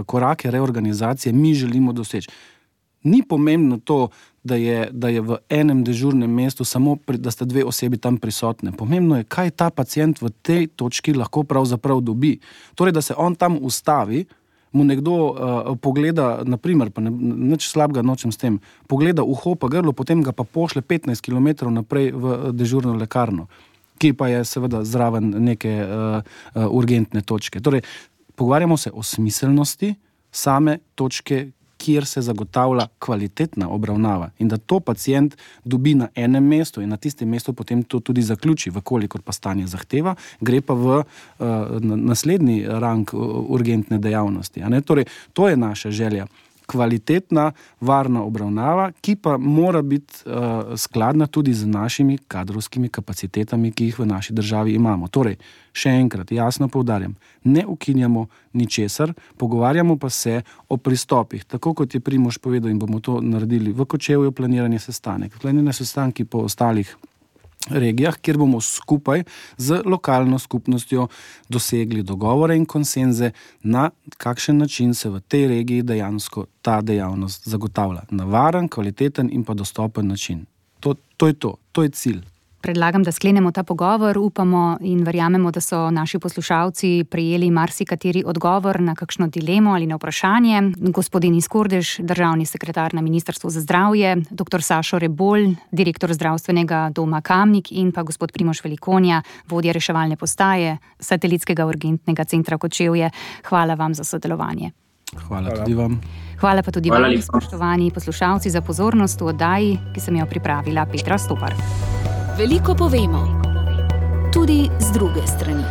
Speaker 3: korake reorganizacije mi želimo doseči. Ni pomembno to, da je v enem dežurnem mestu samo, da sta 2 osebi tam prisotne. Pomembno je, kaj ta pacient v tej točki lahko pravzaprav dobi. Torej, da se on tam ustavi, mu nekdo pogleda, naprimer, pa nič slabega nočem s tem, pogleda uho pa grlo, potem ga pa pošle 15 km naprej v dežurno lekarno, ki pa je seveda zraven neke urgentne točke. Torej, pogovarjamo se o smiselnosti same točke, kjer se zagotavlja kvalitetna obravnava in da to pacient dobi na enem mestu in na tistem mestu potem to tudi zaključi, vkolikor pa stanje zahteva, gre pa v naslednji rang urgentne dejavnosti. Torej, to je naša želja. Kvalitetna, varna obravnava, ki pa mora biti skladna tudi z našimi kadrovskimi kapacitetami, ki jih v naši državi imamo. Torej, še enkrat, jasno poudarjam, ne ukinjamo ničesar, pogovarjamo pa se o pristopih. Tako kot je Primož povedal in bomo to naredili v Kočevju, planiranje sestanki po ostalih regijah, kjer bomo skupaj z lokalno skupnostjo dosegli dogovore in konsenze, na kakšen način se v tej regiji dejansko ta dejavnost zagotavlja. Na varen, kvaliteten in pa dostopen način. To je to. To je cilj.
Speaker 2: Predlagam, da sklenemo ta pogovor. Upamo in verjamemo, da so naši poslušalci prejeli marsikateri odgovor na kakšno dilemo ali na vprašanje. Gospodin Denis Kordež, državni sekretar na Ministrstvu za zdravje, dr. Sašo Rebolj, direktor zdravstvenega doma Kamnik in pa gospod Primož Velikonja, vodja reševalne postaje Satelitskega urgentnega centra Kočevje. Hvala vam za sodelovanje.
Speaker 3: Hvala tudi vam.
Speaker 2: Hvala pa tudi vam, spoštovani poslušalci, za pozornost v oddaji, ki sem jo pripravila Petra Stopar.
Speaker 6: Veliko povemo, tudi z druge strani.